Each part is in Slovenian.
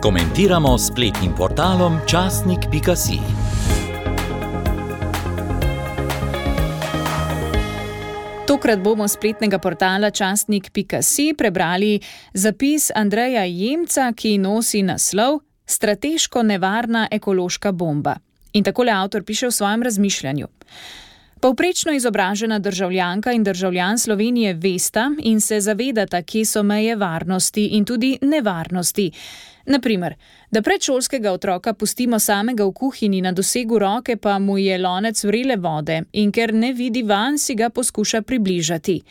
Komentiramo s spletnim portalom časnik.si. Tokrat bomo s spletnega portala časnik.si prebrali zapis Andreja Jemca, ki nosi naslov Strateško nevarna ekološka bomba. In takole avtor piše v svojem razmišljanju. Povprečno izobražena državljanka in državljan Slovenije vesta in se zavedata, kje so meje varnosti in tudi nevarnosti. Naprimer, da predšolskega otroka pustimo samega v kuhinji, na dosegu roke pa mu je lonec vrele vode in ker ne vidi van, si ga poskuša približati.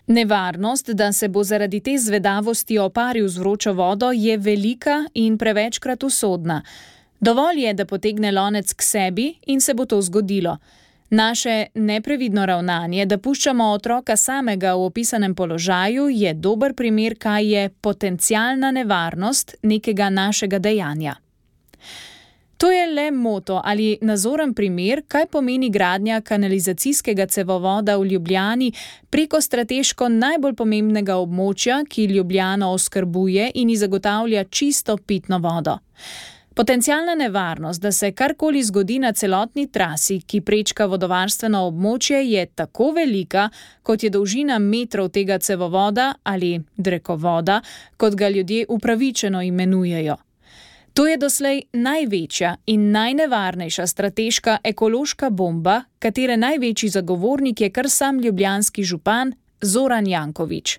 Nevarnost, da se bo zaradi te zvedavosti oparil z vročo vodo, je velika in prevečkrat usodna. Dovolj je, da potegne lonec k sebi in se bo to zgodilo. Naše neprevidno ravnanje, da puščamo otroka samega v opisanem položaju, je dober primer, kaj je potencialna nevarnost nekega našega dejanja. To je le moto ali nazoren primer, kaj pomeni gradnja kanalizacijskega cevovoda v Ljubljani preko strateško najbolj pomembnega območja, ki Ljubljano oskrbuje in ji zagotavlja čisto pitno vodo. Potencialna nevarnost, da se karkoli zgodi na celotni trasi, ki prečka vodovarstveno območje, je tako velika, kot je dolžina metrov tega cevovoda ali drekovoda, kot ga ljudje upravičeno imenujejo. To je doslej največja in najnevarnejša strateška ekološka bomba, katere največji zagovornik je kar sam ljubljanski župan Zoran Janković.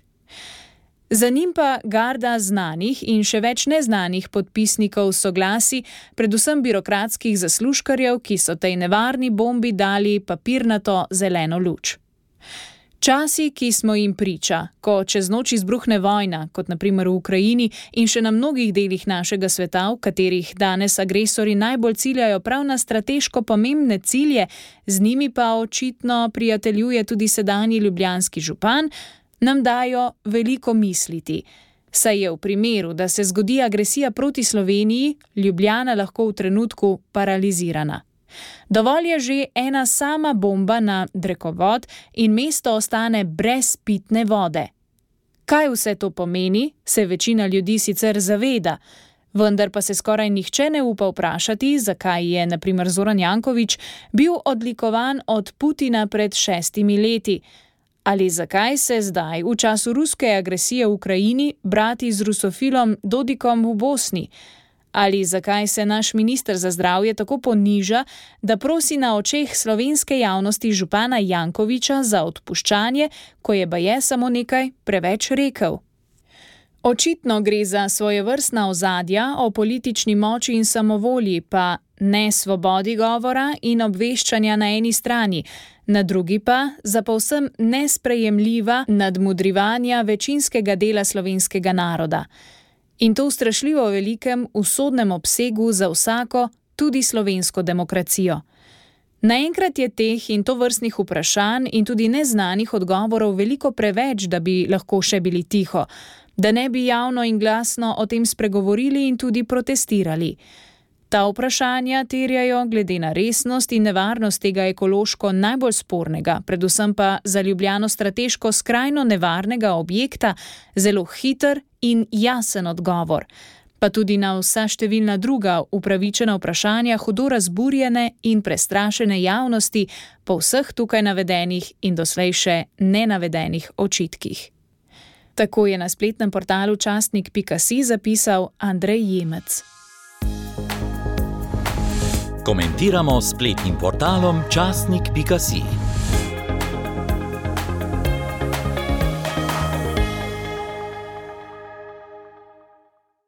Za njim pa garda znanih in še več neznanih podpisnikov soglasij, predvsem birokratskih zaslužkarjev, ki so tej nevarni bombi dali papirnato zeleno luč. Časi, ki smo jim priča, ko čez noč izbruhne vojna, kot na primer v Ukrajini in še na mnogih delih našega sveta, v katerih danes agresori najbolj ciljajo prav na strateško pomembne cilje, z njimi pa očitno prijateljuje tudi sedanji ljubljanski župan, nam dajo veliko misliti. Saj je v primeru, da se zgodi agresija proti Sloveniji, Ljubljana lahko v trenutku paralizirana. Dovolj je že ena sama bomba na drekovod in mesto ostane brez pitne vode. Kaj vse to pomeni, se večina ljudi sicer zaveda, vendar pa se skoraj nihče ne upa vprašati, zakaj je na primer Zoran Janković bil odlikovan od Putina pred 6 leti. Ali zakaj se zdaj, v času ruske agresije v Ukrajini, brati z rusofilom Dodikom v Bosni? Ali zakaj se naš minister za zdravje tako poniža, da prosi na očeh slovenske javnosti župana Jankovića za odpuščanje, ko je baje samo nekaj preveč rekel? Očitno gre za svojevrstna ozadja o politični moči in samovolji, pa ne svobodi govora in obveščanja na eni strani, na drugi pa za povsem nesprejemljiva nadmudrivanja večinskega dela slovenskega naroda. In to v strašljivo velikem usodnem obsegu za vsako, tudi slovensko demokracijo. Naenkrat je teh in tovrstnih vprašanj in tudi neznanih odgovorov veliko preveč, da bi lahko še bili tiho, da ne bi javno in glasno o tem spregovorili in tudi protestirali. Ta vprašanja terjajo, glede na resnost in nevarnost tega ekološko najbolj spornega, predvsem pa za Ljubljano strateško skrajno nevarnega objekta, zelo hiter in jasen odgovor, pa tudi na vsa številna druga upravičena vprašanja hudo razburjene in prestrašene javnosti po vseh tukaj navedenih in doslej še nenavedenih očitkih. Tako je na spletnem portalu časnik.si zapisal Andrej Jemec. Komentiramo s spletnim portalom časnik.si.